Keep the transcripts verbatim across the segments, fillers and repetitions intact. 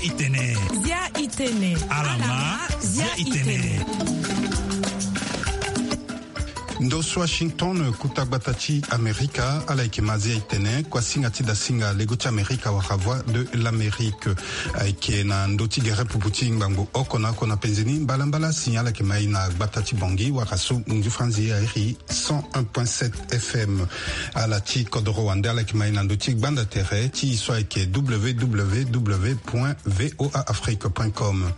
Itene. Zia itene. Alama. Zia itene. Ndo so Washington, kota gbata ti Amerika, ala yeke ma Zia itene, kuasinga ti dasinga lego ti Amerika wala Voix de l'Amérique. Ayeke na ndo ti gere pupu ti ngbangbo oko na oko na penze ni, mbalambala si ala yeke ma e na gbata ti Bangui wala so ngu ti franzi airi cent un point sept F M. Ala ti kodoro wande ala yeke ma e na ndo ti gbanda tere ti e so ayeke W W W point V O A Afrique point com.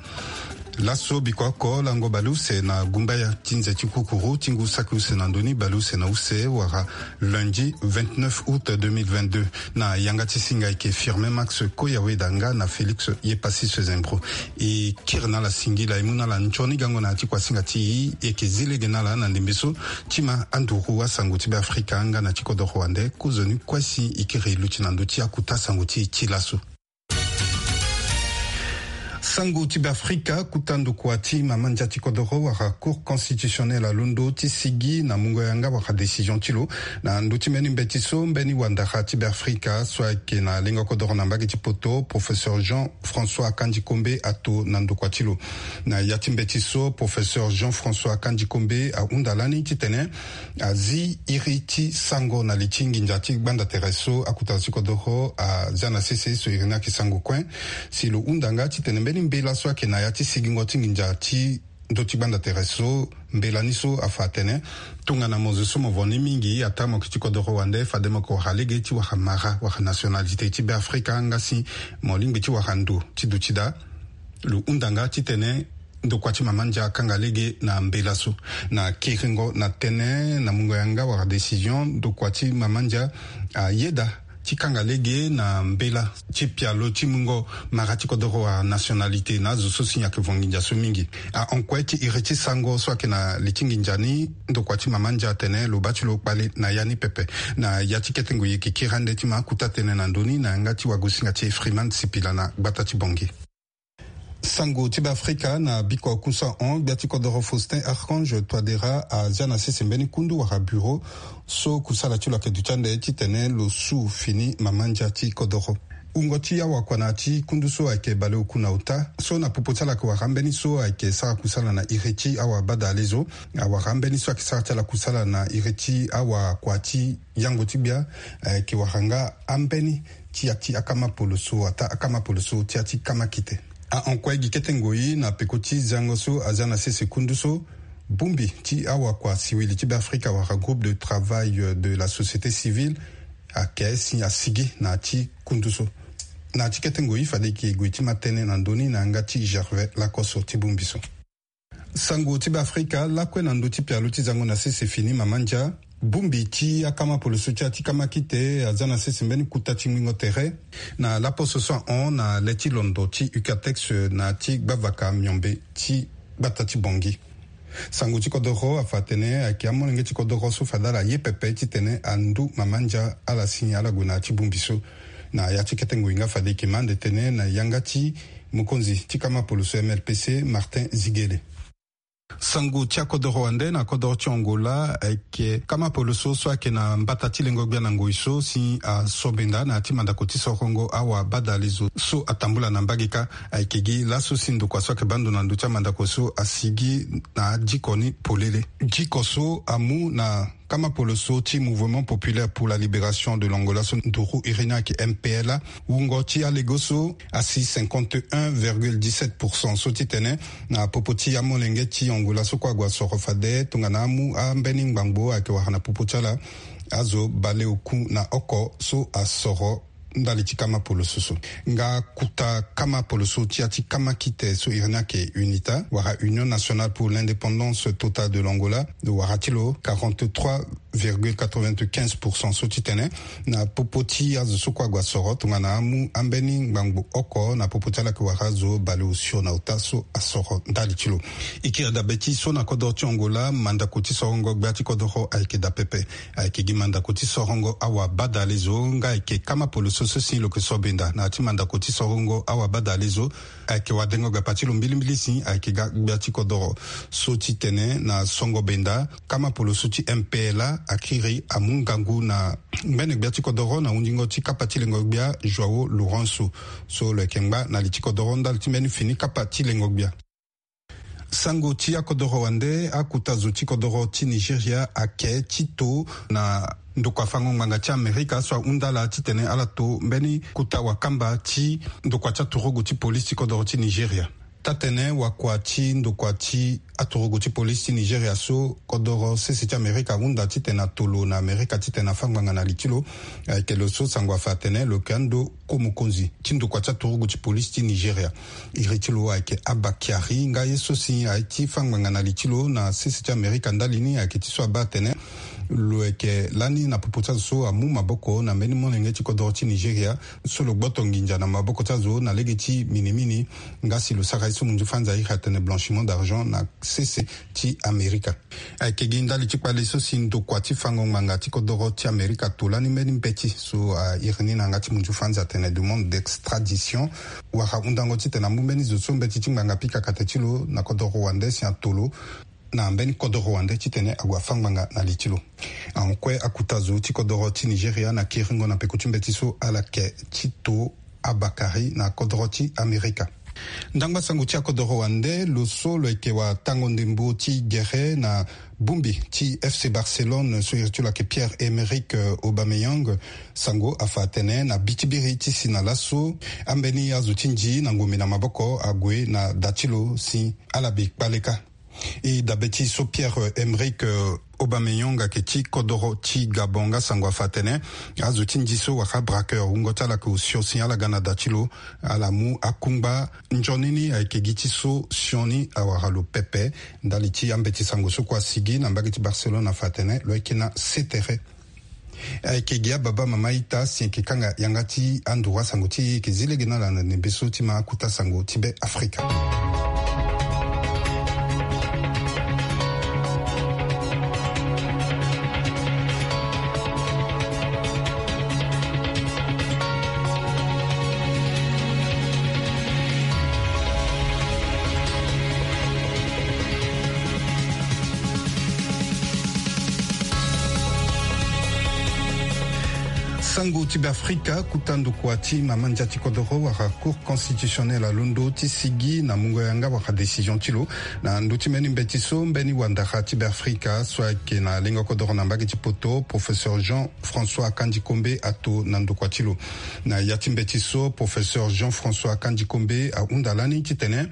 Laso biko oko lango baleuse na gumbaya ti nze ti kukuru ti ngu saki use na ndö ni, baleuse na use wala lundi vingt-neuf août deux mille vingt-deux. Na yanga ti singa ayeke Firmin Max Koyaweda nga na Félix Yepassis Zembro. E kiri na ala singila, e mu na ala nzoni gango na ya ti kuasinga ti e, e yeke zi lege na ala na ndembe so ti ma anduru asango ti Beafrika nga na ti kodoro wande. Kozoni kue si e kiri e luti na ndö ti akota sango ti e ti laso. Sango ti Beafrika, kota ndokua ti mama ndia ti kodoro wala Cour constitutionnelle alondo ti sigi na mungo yanga wala décision ti lo na ndö ti mbeni mbeti so mbeni wandara ti Beafrika so ayeke na lengo kodoro na mbage ti poto, professeur Jean François Kandji Kombe ato na ndokua ti lo. Na ya ti mbeti so, professeur Jean François Kandji Kombe ahunda lani titene azi iri ti sango na li ti nginza ti gbanda tere so akota ti kodoro azia na sese so iri ni ayeke sango kue. Si lo hunda nga titene mbeni mbela so ayeke na ya ti sigingo ti nginza ti ndö ti gbanda tere so, mbela ni so afa atene tongana mo zo so mo vo ni mingi, ataa mo yeke ti kodoro wande, fade mo yeke wara lege ti wara mara wala nationalité ti Beafrika, nga si mo lingbi ti wara ndo ti duti daa. Lo hunda nga titene ndokua ti mama ndia akanga lege na mbela so. Na kiringo na tënë na mungo yanga wala décision, ndokua ti mama ndia ayeda ti kanga lege na mbela ti pialo ti mungo mara ti kodoro wala nationalité na azo so si ayeke vo nginza so mingi. Ahon kue ti iri ti sango so ayeke na li ti nginza ni, ndokua ti mama ndia atene lo baa ti lo kpale na ya ni pepe. Na ya ti kete ngoi e yeke kiri ande ti ma akota tënë na ndö ni na yanga ti wagosinga ti e Freeman Sipila na gbata ti Bangui. Sango ti Beafrika na biko akunsa ahon, gbia ti kodoro Faustin Archange Touadéra azia na sese mbeni kundu wala bureau so kusala ti lo ayeke duti ande titene lo su fini mama ndia ti kodoro. Wungo ti awakua na ya ti kundu so ayeke baleoku na ota so na popo ti ala ayeke wara ambeni so ayeke sara kusala na iri ti awabadalezo, awara ambeni so ayeke sara ti ala kusala na iri ti awakua ti yango ti gbia, ayeke wara nga ambeni ti ya ti akama poloso ataa akama poloso ti ya ti kama kite. Ahon kue gi kete ngoi na peko ti zango so azia na sese kundu so, bongbi ti awakua siwili ti Beafrika wala groupe de travail de la société civile ayeke si asigi na ya ti kundu so. Na ya ti kete ngoi fade e yeke gue ti ma tënë na ndö ni na yanga ti Gervais Lakoso ti bongbi so. Sango ti Beafrika lakue na ndö ti pialo ti zango na sese fini mama ndia. Bongbi ti akama poloso ti ya ti kama kite azia na sese mbeni kota ti ngbingo tere na laposo so ahon na le ti londo ti Ucatex na ya ti gbavaka miombe ti gbata ti Bangui. Sango ti kodoro afa atene ayeke amolenge ti kodoro so fade ala ye pepe titene andu mama ndia ala si ala gue na ya ti bongbi so. Na ya ti kete ngoi nga fade e yeke ma ande tënë na yanga ti mokonzi ti kama poloso M L P C, Martin Ziguele. Sango ti akodoro wande na kodoro ti Angola, ayeke kama poloso so ayeke na mbata ti lengo gbia na ngoi so si asobenda na ya ti mandako ti sorongo awabadalezo so atambula na mbage kâ. Ayeke gi laso si ndokua so ayeke baa ndo na ndö ti amandako so asigi na adiko ni polele. Diko so amu na kama poloso ti Mouvement Populaire pour la Libération de l'Angola so nduru iri ni ayeke M P L A. Wungo ti alego so asi cinquante et un virgule dix-sept pour cent so titene na popo ti amolenge ti Angola so kue ague asoro fade tongana amu ambeni ngbangbo ayeke wara na popo ti ala azo baleoku na oko so asoro ndali ti kama poloso so. Nga kota kama poloso ti ya ti kama kite so iri ni ayeke UNITA wala Union Nationale pour l'Indépendance Totale de l'Angola, lo wara ti lo quarante-trois virgule quatre-vingt-quinze pour cent so titene na popo ti azo so kue ague asoro tongana amu ambeni ngbangbo oko na popo ti ala ayeke wara azo baleosio na ota so asoro ndali ti lo. E kiri dabe ti so na kodoro ti Angola, mandako ti sorongo gbia ti kodoro ayeke daa pepe. Ayeke gi mandako ti sorongo awabadalezo nga ayeke kama poloso so si lo yeke sobenda na ya ti mandako ti sorongo awabadalezo. Ayeke wadengo gapa ti lo mbilimbili si ayeke ga gbia ti kodoro so titene na songo benda kama poloso ti M P L A akiri amu ngangu na ngbene gbia ti kodoro na hundingo ti kapa ti lengo gbia Joao Lourenço, so lo yeke ngba na li ti kodoro ndali ti mbeni fini kapa ti lengo gbia. Sango ti akodoro wande, akuta zo ti kodoro ti Nigeria ake ti to na ndokua fango ngbanga ti Amerika so ahunda ala titene ala to mbeni kuta wakamba ti ndokua ti aturugu ti polisi ti kodoro ti Nigeria. Taa-tene wakua ti ndokua ti aturugu ti polisi ti Nigeria so kodoro sese ti Amerika ahunda titene atolo na Amerika titene afâ ngbanga na li ti lo. Ayeke lo so sango afa atene lo yeke ando ko mokonzi ti ndokua ti aturugu ti polisi ti Nigeria. Iri ti lo ayeke Abba Kyari, nga ye so si aye ti fâ ngbanga na li ti lo na sese ti Amerika ndali ni ayeke ti so abaa atene lo yeke lani na popo ti azo so amu maboko na mbeni molenge ti kodoro ti Nigeria so lo gboto nginza na maboko ti azo na lege ti minimini, nga si lo sara ye so munzu fanza iri atene blanchiment d'argent na sese ti Amerika. Ayeke gi ndali ti kpale so si ndokua ti fango ngbanga ti kodoro ti Amerika ato lani mbeni mbeti so, ah, iri ni na yanga ti munzu fanza atene demande d'extradition, wala hundango titene amu mbeni zo so mbeti ti ngbanga pika kate ti lo na kodoro wande si ato lo na mbeni kodoro wande titene ague afâ ngbanga na li ti lo. Ahon kue akuta zo ti kodoro ti Nigeria na kiringo na peko ti mbeti so ala yeke ti to Abba Kyari na kodoro ti Amerika. Ndangba sango ti akodoro wande, lo so lo yeke watango ndembo ti gere na bongbi ti FC Barcelone so iri ti lo ayeke Pierre-Emerick, euh, Aubameyang, sango afa atene na bi ti biri ti si na laso, ambeni azo ti nzi na ngombe na maboko ague na da ti lo si ala bi kpale kâ. E dabe ti so Pierre-Emerick, euh, Aubameyang ayeke ti kodoro ti Gabon nga sango afa atene azo ti nzi so wala braqueur wungo ti ala ayeke osio si ala ga na da ti lo, ala mu akungba. Nzoni ni ayeke gi ti so sioni awara lo pepe. Ndali ti ambeti sango so kue asigi na mbage ti Barcelone afa atene lo yeke na setere. Ayeke gi ababa mama ita si eke kanga yanga ti anduru asango ti e, eke zi lege na ala na ndembe so ti ma akuta sango ti Be Afrika. Sango ti Be Afrika, kuta ndokua ti mama ndia ti kodoro wala Cour constitutionnelle alondo ti sigi na mungo yanga wala décision ti lo na ndö ti mbeni mbeti so mbeni wandara ti Be Afrika so ayeke na lengo kodoro na mbage ti poto, professeur Jean François Akanji Kombe ato na ndokua ti lo. Na ya ti mbeti so, professeur Jean François Akanji Kombe ahunda lani titene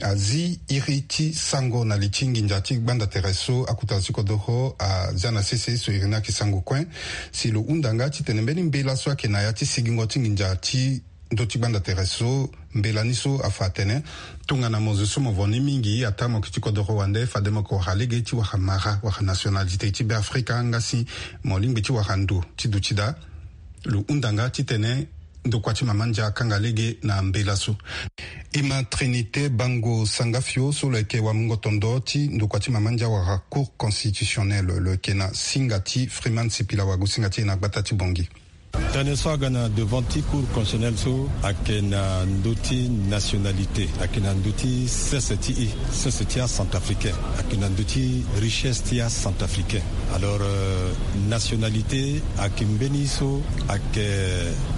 azi iri ti sango na li ti nginza ti gbanda tere so akuta ti kodoro azia na sese so iri ni ayeke sango kue. Si lo hunda nga titene mbeni mbela so ayeke na ya ti sigingo ti nginza ti ndö ti gbanda tere so, mbela ni so afa atene tongana mo zo so mo vo ni mingi ataa mo yeke ti kodoro wande, fade mo yeke wara lege ti wara mara wala nationalité ti Be Afrika nga si mo lingbi ti wara ndo ti duti daa. Lo hunda nga titene ndokua ti mama ndia akanga lege na mbela so. E ma Trinité Bango Sangafio so lo yeke wamungo tondo ti ndokua ti mama ndia wala Cour constitutionnelle, lo yeke na singa ti Freeman Sipila Wagu, singa ti e na gbata ti Bongi. Tënë so aga na devant ti Cour constitutionnelle so ayeke na ndö ti nationalité, ayeke na ndö ti sese ti e, sese ti acentrafricain, ayeke na ndö ti richesse ti acentrafricain. Alors, euh, nationalité ayeke mbeni so ayeke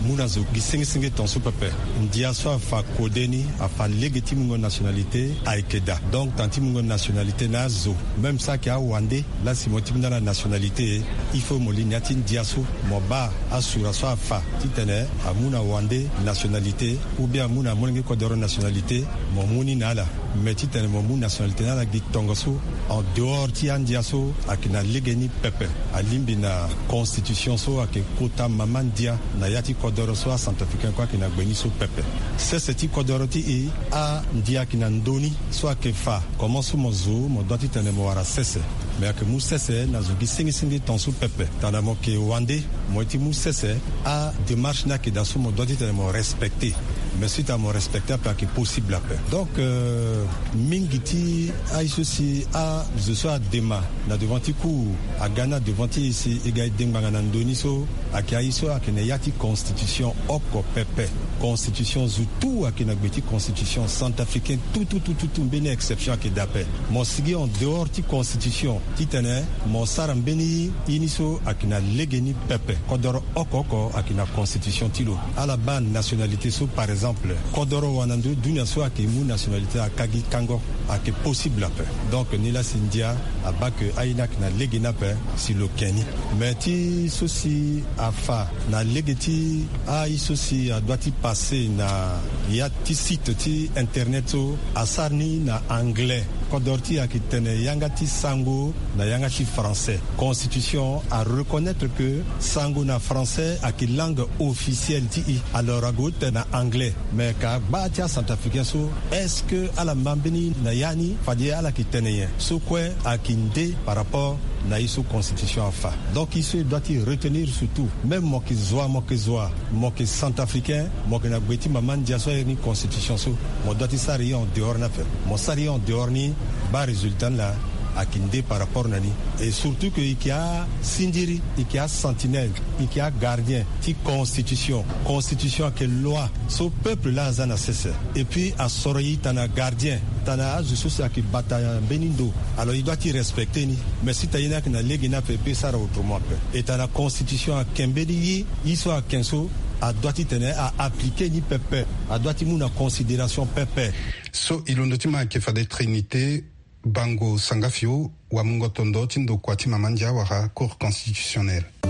mu na zo gi senge senge ton so pepe. Ndia so afa kode ni, afa lege ti mungo nationalité ayeke daa. Donc, tanga ti mungo nationalité na azo, même so ayeke awande, la si mo ti mu na ala nationalité, il faut mo li na ya ti ndia so mo baa asura so afa titene amu na wande nationalité, ou bien amu na molenge kodoro nationalité, mo mu ni na ala. Mais titene mo mu nationalité na ala gi tongaso en dehors ti andia so ayeke na lege ni pepe. Alingbi na constitution so ayeke kota mama ndia na ya ti kodoro so acentrafricain kue ayeke na gbe ni so pepe. Sese ti kodoro ti e, andia ayeke na ndö ni so ayeke fa. Comment so mo zo, mo doit titene mo wara sese. Mais ayeke mu sese na zo gi senge senge ton so pepe. Tongana mo yeke wande, mo ye ti mu sese, adémarche ni ayeke daa so mo doit titene mo respecter. Mais suite à mon respecter ape ayeke possible ape. Donc euh, mingi ti aye so si azo so adema na devant ti cour aga ni na devant ti e si e ga e de ngbanga na ndo ni so, ayeke aye so ayeke na ya ti constitution oko pepe. Constitution zo tout ayeke na gbe ti constitution centrafricain tout tout tout tout tout mbeni exception ayeke daa ape. Mo sigi en dehors ti constitution titene mo sara mbeni ye ni so ayeke na legeni pepe. Kodoro oko oko ayeke na constitution ti lo. Ala baa nationalité so par exemple kodoro wala na ndo dunia so ayeke mu nationalité aka gi kango. Ayeke possible ape. Donc nilaa si ndia abaa ke aye ni ayeke na lege ni ape si lo ke ni. Mais ti so si afa na lege ti aye so si adoit ti passe na ya ti site ti internet so asara ni na anglais. Kodoro ti e ayeke tene yanga ti sango na yanga ti français. Constitution areconnaître ke sango na français ayeke langue officielle ti e. Alors ague tene na anglais. Mais ka gbaa ti acentrafricain so, est-ce que ala ma mbeni na ya ni? Fade ala yeke tene nyen? So kue ayeke nde par rapport na ye so constitution afa. Donc ye so e doit ti retenir surtout, même mo yeke zo wa, mo yeke zo wa, mo yeke centrafricain, mo yeke na gbe ti mama ndia so airi ni constitution so, mo doit ti sara ye en dehors ni ape. Mo sara ye en dehors ni, baa résultat ni laa ayeke nde par rapport na ni. Et surtout ke e yeke asindiri, e yeke asentinelle, e yeke agardien ti constitution. Constitution ayeke loi so peuple laa aza na sese. Et puis asoro e tana gardien, tana azo so si ayeke bata mbeni ndo. Alors e doit ti respecter ni. Mais si tana ye ni ayeke na lege ni ape e peut sara autrement ape. E tana constitution ayeke mbeni ye, ye so ayeke so adoit ti tene a appliquer ni pepe. Adoit ti mu na considération pepe. So e londo ti ma ayeke fade Trinité Bango Sangafio, wamungo tondo ti ndokua ti mama ndia wala Cour constitutionnelle. E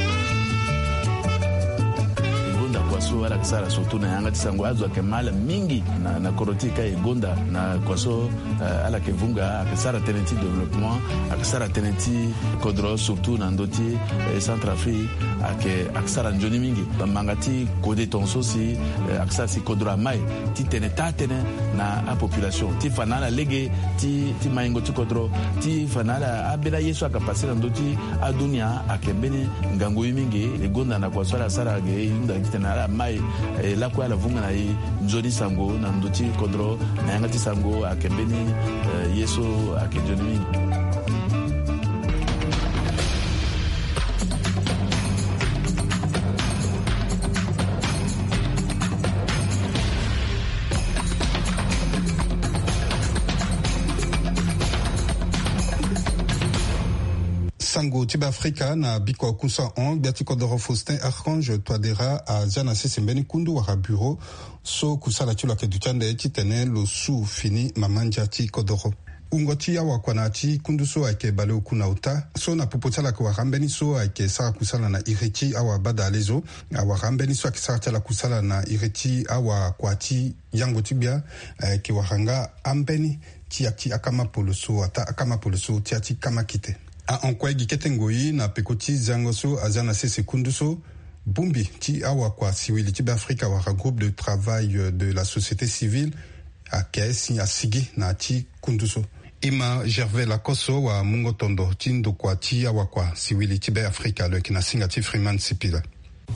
gonda kua so ala yeke sara surtout na yanga ti sango, azo ayeke mal mingi na, na kodro ti e ka e gonda na kua so, eh, ala yeke vunga, ayeke sara tënë ti développement, ayeke sara tënë ti kodro surtout na ndö ti, eh, Centrafrique, ayeke, ayeke sara nzoni mingi. Manga ti kode tongaso si, eh, ayeke sara si kodro amai ti tene taa tënë na apopulation ti fa na ala lege ti, ti maingo ti kodro, ti fa na ala ambeni aye so ayeke passe na ndö ti adunia ayeke mbeni ngangu ye mingi. E gonda na kua so ala sara ge e hunda gi titene ala mai, eh, lakue ala vunga na e nzoni sango na ndö ti kodro na yanga ti sango ayeke mbeni, eh, ye so ayeke nzoni mingi. Sango ti Beafrika na bikua kusala hon, gbia ti kodoro Faustin Archange Touadéra azia na sese mbeni kundu wala bureau so kusala ti lo ayeke duti ande titene lo su fini mama ndia ti kodoro. Wungo ti awakua na ya ti kundu so ayeke baleoku na ota so na popo ti ala ayeke wara ambeni so ayeke sara kusala na iri ti awabadale zo. Awara ambeni so ayeke sara ti ala kusala na iri ti awakua ti yango ti gbia, eh, ayeke wara nga ambeni ti ya ti akama polo so ataa akama polo so ti ya ti kama kite. Ahon kue gi kete ngoi na peko ti zango so azia na sese kundu so, bongbi ti awakua siwili ti Beafrika wala groupe de travail, euh, de la société civile, ayeke si asigi na ya ti kundu so. E ma Gervais Lacoste wamungo tondo ti ndokua ti awakua siwili ti Beafrika lo yeke na singa ti Freeman Sipila.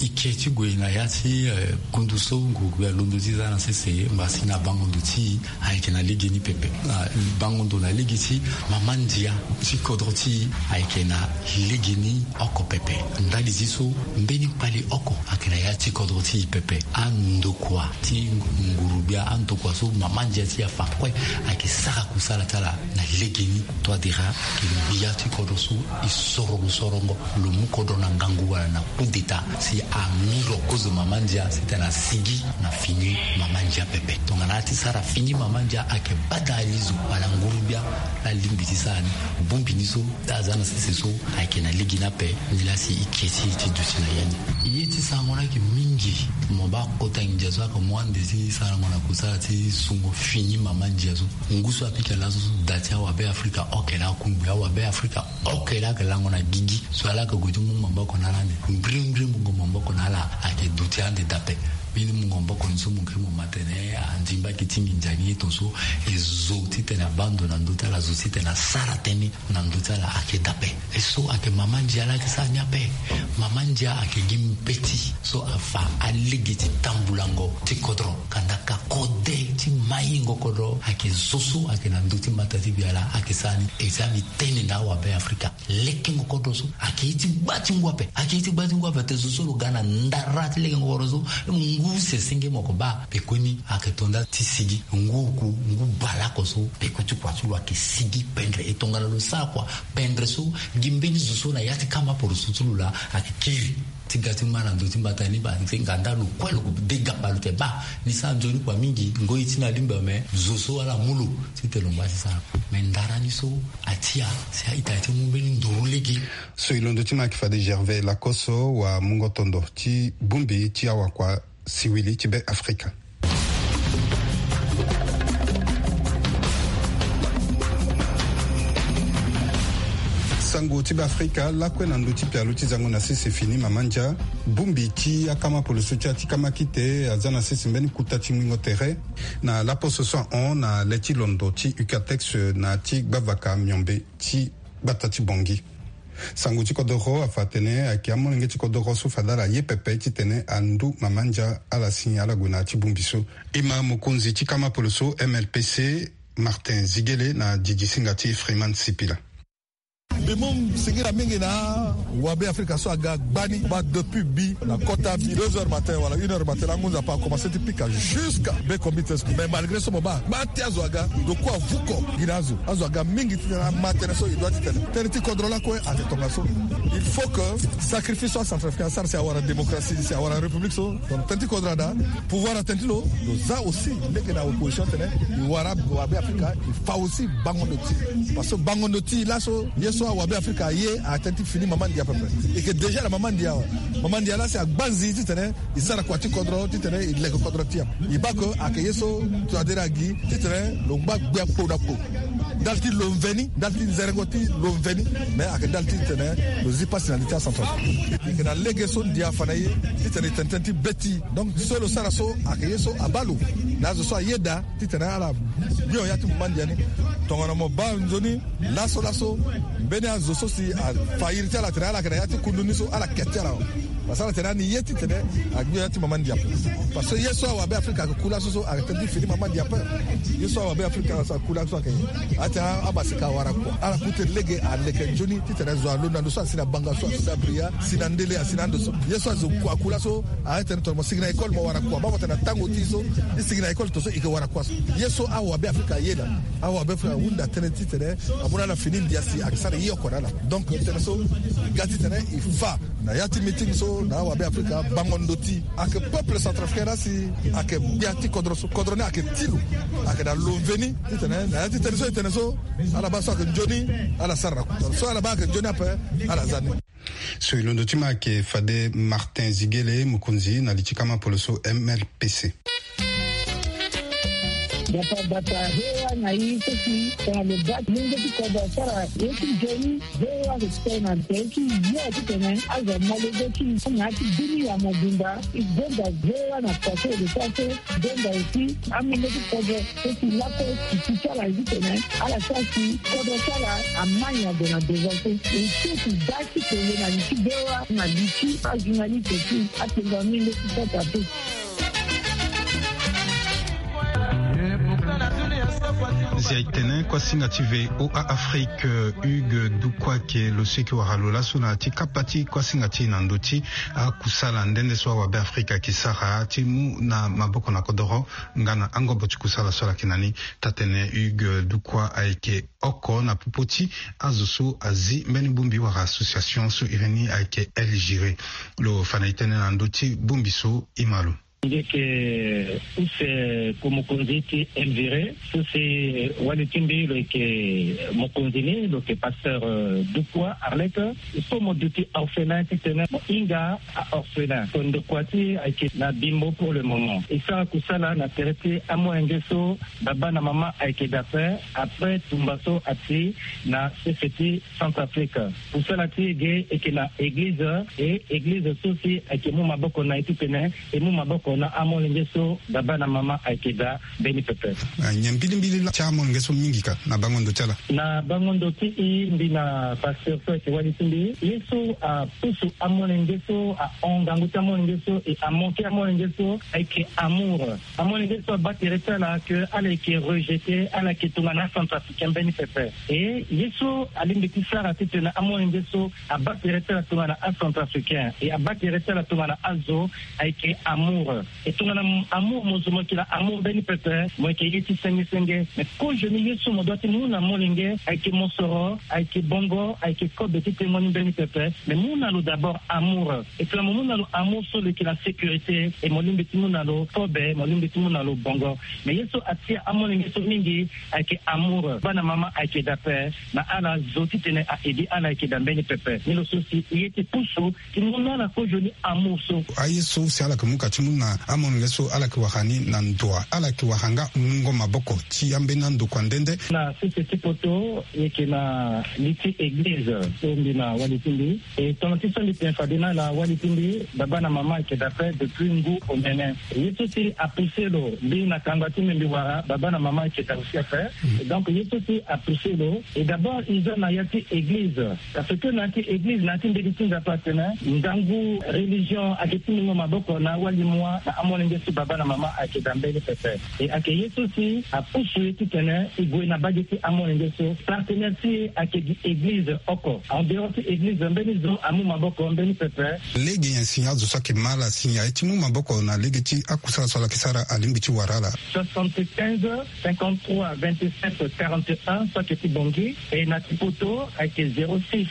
E ke ti gue na ya ti, eh, kundu so ngurugbia alondo ti za na sese, mbasi na bango ndo ti e ayeke na legeni pepe. Ah, bango ndo na lege ti mama ndia ti kodro ti e ayeke na legeni oko pepe. Ndali ti so, mbeni kpali oko ayeke na ya ti kodro ti e pepe. Andokua ti ngurugbia, andokua so mama ndia ti e afa kue ayeke sara kusala ti ala na legeni. Touadéra ayeke gbia ti kodro so e sorongo sorongo. Lo mu kodro na ngangu wala na coup d'état si a mu lo kozo mama ndia si tena sigi na fini mama ndia pepe. Tongana a ti sara fini mama ndia ayeke bada ali zo wala ngurugbia, alingbi ti sara ni. Bongbi ni so ti aza na sese so ayeke na lege ni ape. Nilaa si e ke ti e ti duti na ya ni. Ye ti sarango ni ayeke mingi. Mo baa kota nginza so ayeke mu ande ti sarango na kusala ti sungo fini mama ndia so. Ngu so apika laso so da ti awabe Afrika oke laa akungbi awabe Afrika. Oke laa ayeke lango na gigi so ala yeke gue ti mu maboko na ala ande. Mbirimbiri mungo maboko na ala ayeke duti ande dape. Mbeni mungo maboko ni so mo yeke mu ma tene andimba ayeke ti nginza ni ye tongaso. E zo titene abaa ndo na ndö ti ala, zo titene asara tënë na ndö ti ala ayeke daa ape. E so ayeke mama ndia laa ayeke sara ni ape. Mama ndia ayeke gi mbeti so afa alege ti tambulango ti kodro. Kanda ka kode ti maingo kodro ayeke zo so ayeke na ndö ti mbata ti biala ayeke sara ni. E sara ni tene na awabe afrika. Lekengo kodro so ayeke ye ti gba ti ngu ape. Ayeke ye ti gba ti ngu ape te zo so lo ga na ndara ti lekengo kodro so. Ngu sese nge mo yeke baa. Pekoni ayeke to nda ti sigi ngu oku, ngu baleoko so. Peko ti kua ti lo ayeke sigi pendre. E tongana lo sara kua pendre so, gi mbeni zo so na ya ti kama poroso ti lo laa ayeke kiri ti ga ti ma na ndö ti mbata ni. Baa ti nga nda lo kue lo ko de gaba lo te baa ni sara nzoni kua mingi. Ngoi ti na lingba me zo so ala mu lo titene lo ngba ti sara. Me ndara ni so atia si a-ita ti mu mbeni nduru lege. So e londo ti ma ayeke fade Gervais Lacoste, wamungo tondo ti bongbi ti awakua siwili ti Be Afrika. Sango ti Be Afrika lakue na ndö ti pialo ti zango na sese fini mama ndia. Bongbi ti akama poloso ti ya ti kama kite aza na sese mbeni kuta ti ngbingo tere na laposo so ahon na le ti londo ti Ucatex na ya ti gbavaka miombe ti gbata ti Bangui. Sango ti kodoro afa atene ayeke amolenge ti kodoro so fade ala ye pepe titene andu mama ndia ala si ala gue na ya ti bongbi so. E ma mokonzi ti kama poloso M L P C, Martin Ziguélé, na didisinga ti Freeman Sipila. Mbi mu singira mingi na wabe afrika so aga gbani baa depuis bi na kota bi deux heures matin wala une heure matin la ngu nzapa akomanse ti pika jusqu'à be comité. Mais malgré so mo baa gba ti azo aga doku avuko gi na azo. Azo aga mingi titene ama tënë so e doit ti tene tënë ti kodro lakue ayeke tongaso. Il faut que sacrifice so acentrafricain asara si awara démocratie, si awara république so. Donc tënë ti kodro ada pouvoir atene ti lo. Lo za aussi lege na opposition tene e wara wabe afrika e fa aussi bango ndo ti. Parce que bango ndo ti laso ye so awabe afrika aye atene ti fini mama ndia pepe. E yeke déjà na mama ndia awe. Mama ndia laa si agbanzi titene e sara kua ti kodro titene e leke kodro ti e ape. E baa ke ayeke ye so tongana dere agi titene lo ngba gbia kpo na kpo. Ndali ti lo mveni ndali ti nzerengo ti lo mveni. Mais ayeke ndali ti tene lo zi pasi na li ti acentrafrique. E yeke na lege so ndia afa na e titene e tene tënë ti be ti e. Donc so lo sara so ayeke ye so abaa lo na azo so ayeda titene ala gbio ya ti mama ndia ni. Tongana mo baa nzoni laso laso mbeni azo so si afa iri ti ala atene ala yeke na ya ti kundu ni so ala ke ti ala awe. Parce que ala tene ani ye titene agbio ya ti mama ndia ape. Parce que ye so awabe afrika ayeke ku laso so ayeke tënë ti fini mama ndia ape. Ye so awabe afrika so aku laso so ayeke atene abasika awara kua ala ku tene lege aleke nzoni titene zo alondo na ndo so asi na banga so asi na bria asi na ndele asi na ando so ye so azo kua aku laso. Aye tene tongana mo sigi na école mo wara kua baa mo tene na tango ti e so e sigi na école tongaso e yeke wara kua so. Ye so awabe afrika aye na awabe afrika ahunda tënë titene amu na ala fini ndia si ayeke sara ye oko na ala. Donc tënë so e ga titene e fa na ya ti meeting so na awabe afrika bango ndo ti e ayeke peuple centrafricain laa si ayeke gbia ti kodro so kodro ni ayeke ti lo. Ayeke na lo mveni titene na ya ti tënë so e tene so ala baa so ayeke nzoni ala sara na kodro so ala baa ayeke nzoni ape ala za ni. So e londo ti ma ayeke fade Martin Ziguélé, mokonzi na li ti kama poloso M L P C. Gbata gbata V O A na e so si tongana lo baa ti lenge ti kodro asara ye ti nzoni. V O A respect na tënë ti yo titene azo amolenge ti e na ya ti dunia mobimba. E gonda V O A na kua so e lo sara so. Gonda aussi amolenge ti kodro so si lakue si ti ti ala ye titene ala sara si kodro ti ala ama nyen ague na devant so. E so si daa ti kele na li ti V O A na li ti ajournaliste ti apengo amolenge ti kota so. Zia e tene kuasinga ti V O A Afrique, Hugues Dukwa ayeke lo so e yeke wara lo laso na ya ti kapa ti kuasinga ti e na ndö ti akusala nde nde so awabe afrika ayeke sara ti mu na maboko na kodoro nga na angobo ti kusala so ala yeke na ni. Taa-tene Hugues Dukwa ayeke oko na popo ti azo so azi mbeni bongbi wala association so iri ni ayeke El Giré. Lo fa na e tënë na ndö ti bongbi so e ma lo. Mbi yeke use ko mokonzi ti El Giré so si wali ti mbi lo yeke mokonzi ni lo yeke pasteur, euh, Dukwa Arlette. So mo duti orphelin titene mo hinga aorphelin. Ko ndokua ti e ayeke na Bimbo pour le moment. E sara kusala na tere ti amolenge so baba na mama ayeke daa ape après tumba so ati na sese ti Centrafrique. Kusala ti e ge e yeke na eglize, e eglize so si ayeke mu maboko na e titene e mu maboko na amolenge so, baba na mama ayeke daa mbeni pepe. Ah, nyen mbilimbili laa ti amolenge so mingi ka na bango ndo ti ala? Na bango ndo ti e, mbi na pasteur so ayeke wali ti mbi, ye so apusu amolenge so, ahon ngangu ti amolenge so, e amanke amolenge so, ayeke amour. Amolenge so abaa tere ti ala ke ala yeke rejeté, ala yeke tongana acentrafricain mbeni pepe. E ye so alingbi ti sara titene amolenge so abaa tere ti ala tongana acentrafricain, e abaa tere ti ala tongana azo, ayeke amour. E tongana m-, amour mo zo, mo yeke na amour mbeni pepe, mo yeke ye ti senge senge. Me kozo ni ye so mo doit ti mu na molenge, ayeke mosoro, ayeke bongo, ayeke kobe ti tengo ni mbeni pepe. Me mu na lo d'abord amour. E tongana mo mu na lo amour so, lo yeke na sécurité. E mo lingbi ti mu na lo kobe, mo lingbi ti mu na lo bongo. Me ye so atia amolenge so mingi, ayeke amour. Baba na mama ayeke daa ape. Na ala zo titene a-edi ala ayeke daa mbeni pepe. Ni lo so si e ye ti pusu ti mu na ala kozoni amour so. Aye so si ala yeke mu ka ti mu na amolenge so, ala yeke wara ni na ndoa, ala yeke wara nga mungo maboko ti ambeni andokua nde nde. Na sese ti poto, e yeke na li ti église so mbi na wali ti mbi. E tongana ti so mbi tene fade na ala, wali ti mbi, baba na mama ayeke daa ape depuis ngu omene. Ye so si apoussé lo, mbi na kangba ti mbi, mbi wara, baba na mama ayeke daa aussi ape. Mm. Et donc ye so si apoussé lo, e d'abord e za na ya ti église. Parce que na ya ti église, na ya ti mbeti ti Nzapa atene ngangu religion ayeke ti mungo maboko na awali mua na amolenge so, baba na mama ayeke daa mbeni pepe. E ayeke ye so si apusu e titene e gue na bage ti amolenge so. Partenaire ti e ayeke gi église oko. En dehors ti église, mbeni zo amu maboko mbeni pepe. Lege nyen si azo so ayeke ma ala si aye ti mu maboko na lege ti akusala so ala yeke sara, alingbi ti wara ala? Soixante-quinze, cinquante-trois, vingt-sept, quarante et un, so ayeke ti Bangui. E na ti poto ayeke zéro six,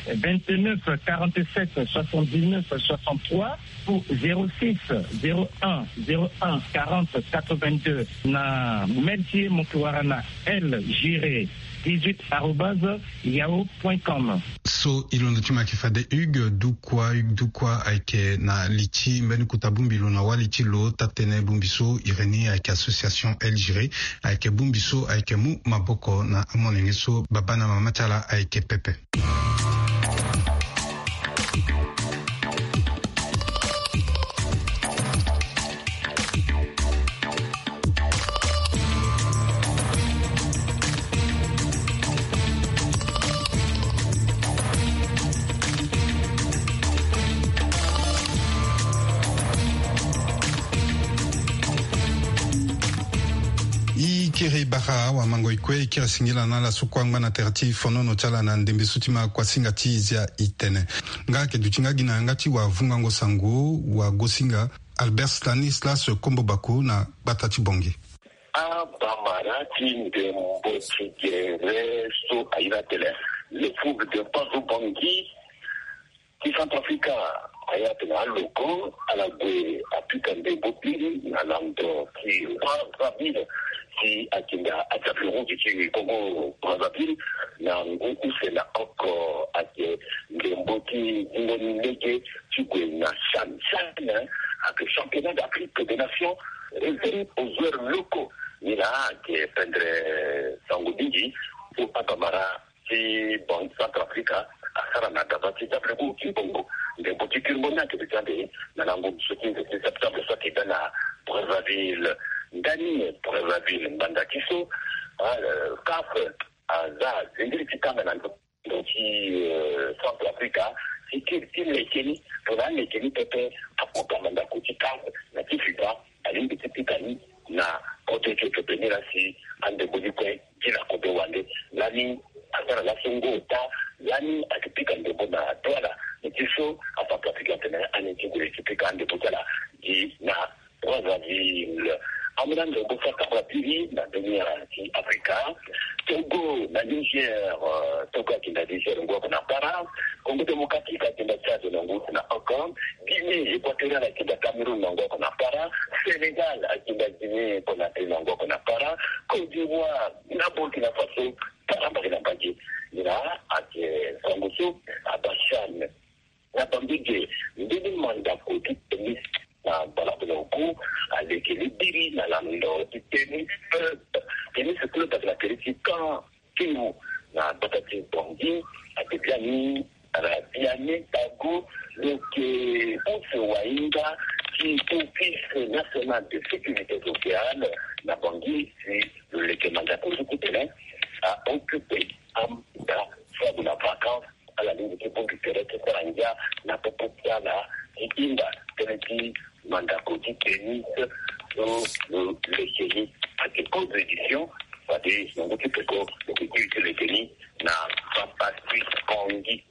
vingt-neuf, quarante-sept, soixante-dix-neuf, soixante-trois, ou zéro six, zéro un, zéro un, quarante, quatre-vingt-deux. Na mail ti e mo yeke wara na L Giré dix-huit arobase yahoo point com. So e londo ti mo ayeke fade Hugues Dukwa. Hugues Dukwa ayeke na li ti mbeni kota bongbi lo na wali ti lo taa-tënë bongbi so, Irénée, ayeke association L Giré, ayeke bongbi so ayeke mu maboko na amolenge so, baba na mama ti ala ayeke pepe. E kiri bara awamango e kue, e kiri singila na ala so kue angba na tere ti fonono ti ala na ndembe so ti ma kuasinga ti zia e tene. Nga ayeke duti nga gi na yanga ti wavungango sango, wagosinga Albert Stanislas Kombo Baku na gbata ti Bangui. Abamara ti ndembo ti gere so aye na tene le fougue de Pazu Bangui ti Centrafrica, aye atene aloko ala gue apika ndembo biri na lando ti Brazzaville, si atinda atia fleurons ti Congo Brazzaville na ngu use na oko. Ayeke ndembo ti zingo ni lege ti gue na CHAN. CHAN ayeke championnat d'Afrique des nations réservé aux joueurs locaux. Ni laa ayeke pendere sango mingi so abamara ti Bangui Centrafrica asara na gaba ti W O ti Congo. Ndembo ti kirmbo ni ayeke beta ande na lango so ti nze ti septembre so ayeke da na Brazzaville. Ndani Brazzaville ngbanda ti so, ah, eh, CAF aza zingiri ti kanga na ndo ti, eh, Centrafrica ti kiri ti leke ni. Tongana aleke ni pepe, akota mandako ti CAF na ti FIFA alingbi ti pika ni na kodro ti e pepe. Ni laa si andembo ni kue gi na kodro wande. Lani asara laso ngu ota, lani ayeke pika ndembo na Douala. Ni ti so afa pratique atene ani ti gue ti pika andembo ti ala gi na Brazzaville. Ambeni andembo saka biri na dunia ti Afrika. Togo na Niger, eh, Togo atinda Niger ngu oko na para. Congo Démocratique atinda Tchad na ngu use na oko. Guinée Équatoriale atinda Cameroun na ngu oko na para. Sénégal atinda Guinée Conakry na ngu oko na para. Côte d'Ivoire na Burkina Faso para mbage na mbage. Ni laa ayeke sango so abaa CHAN. Na bambege, mbeni mandako ti tennis na balabu na oku aleke ni biri na lando ti tennis club. Tennis club ayeke na tere ti Caen, Kéou, na gbata ti Bangui. Ayeke biani na Biani Tago, lo yeke use wahinga ti Office National de Sécurité Sociale na Bangui, si lo leke mandako ti kutene a occupé amba so ague na vacances, ala lingbi ti bongbi tere ti sara ngia na popo ti ala ti hinga tënë ti mandako ti tennis so lo leke ni. Ayeke cause d'édition fade na ngu ti peko lo yeke kiri ti leke ni na Papa Sweet Kongi.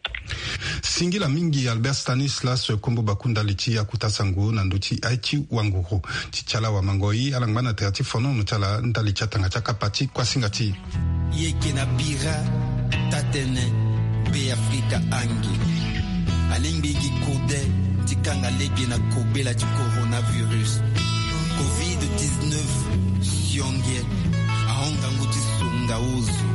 Singila mingi Albert Stanislas Kombo Baku ndali ti akuta sango na ndö ti aye ti wanguru. Ti ti ala wamango ye ala ngba na tere ti fonono ti ala ndali ti atanga ti akapa ti kuasinga ti e. Ye yeke na bira tatene Be Afrika ange. Alingbi gi kode ti kanga lege na kobela ti coronavirus. Covid dix-neuf sionge ahon ngangu ti songa ozo.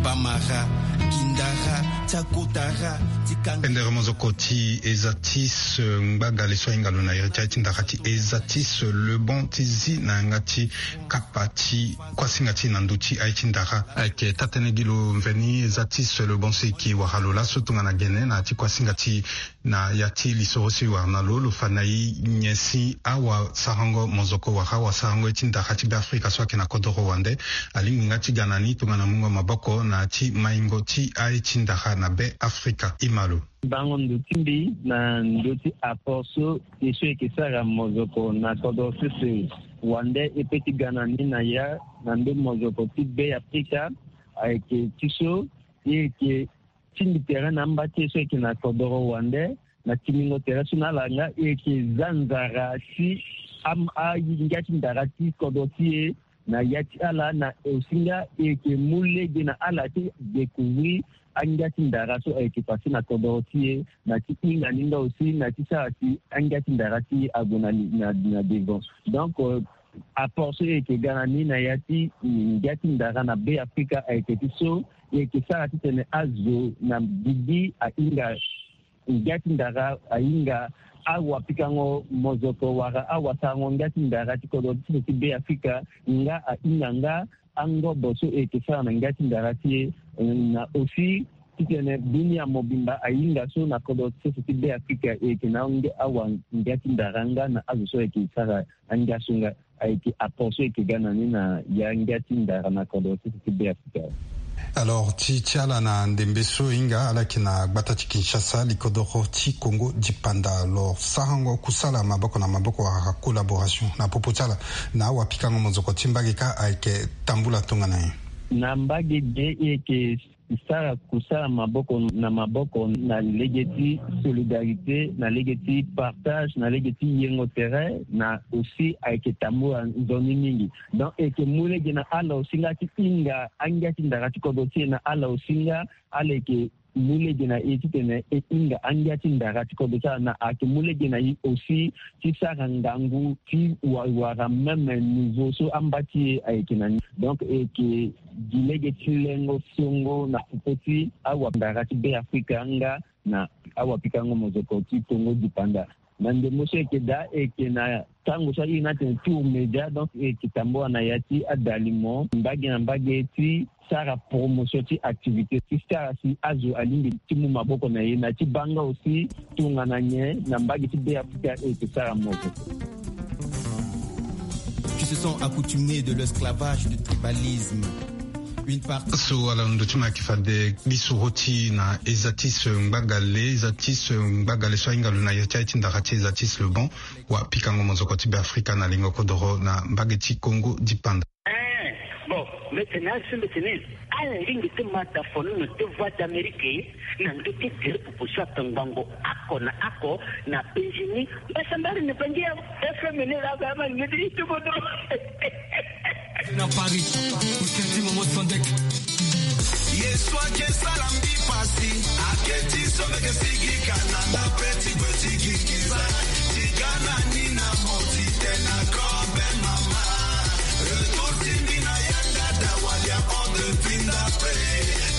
Bamara, kindara, ti akotara, ti kanga. Pendere mozoko ti eza ti se ngbagale so ahinga lo na iri ti aye ti ndara ti eza ti se Lebon ti zi na yanga ti kapa ti kuasinga ti e na ndö ti aye ti ndara. Ayeke taa-tënë gi lo mveni eza ti se Lebon so e yeke wara lo laso tongana gene na ya ti kuasinga ti e na ya ti lisoro so e wara na lo, lo fa na e nyen si awasarango mozoko wala awasarango ye ti ndara ti Be Afrika so ayeke na kodoro wande alingbi nga ti ga na ni tongana mungo maboko na ya ti maingo ti aye ti ndara na Be Afrika. E ma lo. Bango ndo ti mbi na ndö ti apport so ye so e yeke sara mozoko na kodro sese wande e pe ti ga na ni na ya na ndö mozoko ti Be Afrika ayeke ti so ye yeke tingbi tere na amba ti e so e yeke na kodoro wande na timbingo tere so na ala nga e yeke za nzara ti am- angia ti ndara ti kodro ti e na ya ti ala na aussi nga e yeke mu lege na ala ti découvrir angia ti ndara so ayeke passé na kodoro ti e na ti hinga ni nga aussi na ti sara si angia ti ndara ti e ague na, na, na devant. Donc euh, apport so e yeke ga na ni na ya ti ngia ti ndara na Be Afrika ayeke ti so e yeke sara titene azo na gigi ahinga ngia ti ndara ahinga awapikango mozoko wala awasarango ngia ti ndara ti kodro ti so ti Be Afrika nga ahinga nga angobo so e yeke sara na ngia ti ndara ti e na aussi titene dunia mobimba ahinga so na kodro ti so ti Be Afrika e yeke na ange awa ngia ti ndara nga na azo so e yeke sara angia so nga. Ayeke apport so e yeke ga na ni na ya ngia ti ndara na kodro ti so ti Be Afrika. Alors ti ti ala na ndembe so e hinga ala yeke na gbata ti Kinshasa likodoro ti Kongo dipanda. Alors sarango kusala maboko na maboko wala collaboration na popo ti ala na awapikango mozoko ti mbage kâ ayeke tambula tongana nyen? Na mbage ge e yeke sara kusala maboko na maboko na lege ti solidarité na lege ti partage na lege ti yengo tere na aussi ayeke tambula nzoni mingi. Donc e yeke mu lege na ala aussi nga ti hinga angia ti ndara ti kodro ti e na ala aussi nga ala yeke mu lege na e titene e hinga angia ti ndara ti kodro ti ala na ayeke mu lege na e aussi ti sara ngangu ti wa- wara même niveau so amba ti e ayeke na ni. Donc e yeke gi lege ti lengo songo na popo ti awandara ti Be Afrika nga na awapikango mozoko ti Kongo dipanda. Na ndembo so e yeke daa e yeke na tango so a iri ni atene tour média, donc e yeke tambula na ya ti adalimo mbage na mbage ti sara promotion ti activité ti sara si azo alingbi ti mu maboko na e na ti baa nga aussi tongana nyen na mbage ti Be Afrika e yeke sara moko. Qui se sont accoutumés de l'esclavage, du tribalisme. Une partie. So ala ndo ti ma yeke fade lisoro ti na eza ti se ngbagale eza ti se ngbagale so ahinga lo na ya ti aye ti ndara ti eza ti se Lebon. Wapikango mozoko ti Be Afrika na lingo kodoro na mbage ti Kongo dipanda. Eh, bon, mbi tene azo mbi tene ala lingbi ti ma da fonono ti Voix d'Amérique na ndö ti diri pupu so atongbango oko na oko na Benjini. Mbasambari ni bangi ya F M ni la ba ma ngedi ti bodo. Na Paris, Mousqueti Momo Sondek. Yesu ake sala mbi pasi, ake ti so mbi ke sigi kana na pe ti kue ti gingiza. Ti ga na ni na moti te na kobe mama. Retour ti mbi na yanga da walia on de pinda pe.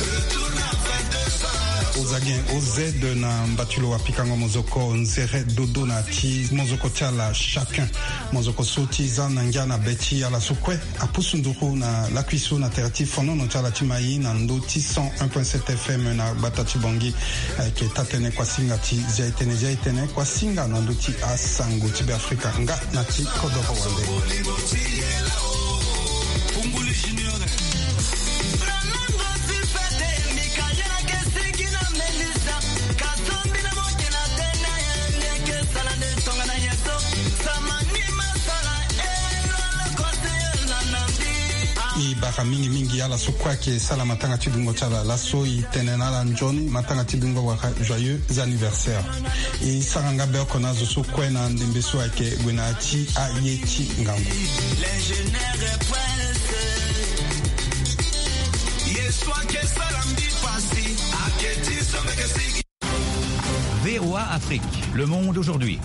Retour na vingt-deux heures. Zagin oz na mbatilo wa pikango mozoko nzere dodo na ti mozoko ti ala chacun. Mozoko so ti za na ngia na be ti ala so kue apusu nduru na lakui so na tere ti fonono ti ala ti mai na ndo ti cent un point sept F M na gbata ti Bangui. Ayeke taa-tënë kuasinga ti zia-etene zia-etene kuasinga na ndo ti asango ti Beafrika nga na ti kodoro wande. E bara mingi mingi ala so kue ayeke sara matanga ti dungo ti ala laso, e tene na ala nzoni matanga ti dungo wala joyeux anniversaire. E sara nga be oko na azo so kue na ndembe so ayeke gue na ya ti aye ti ngangu. V O A Afrique, le monde aujourd'hui.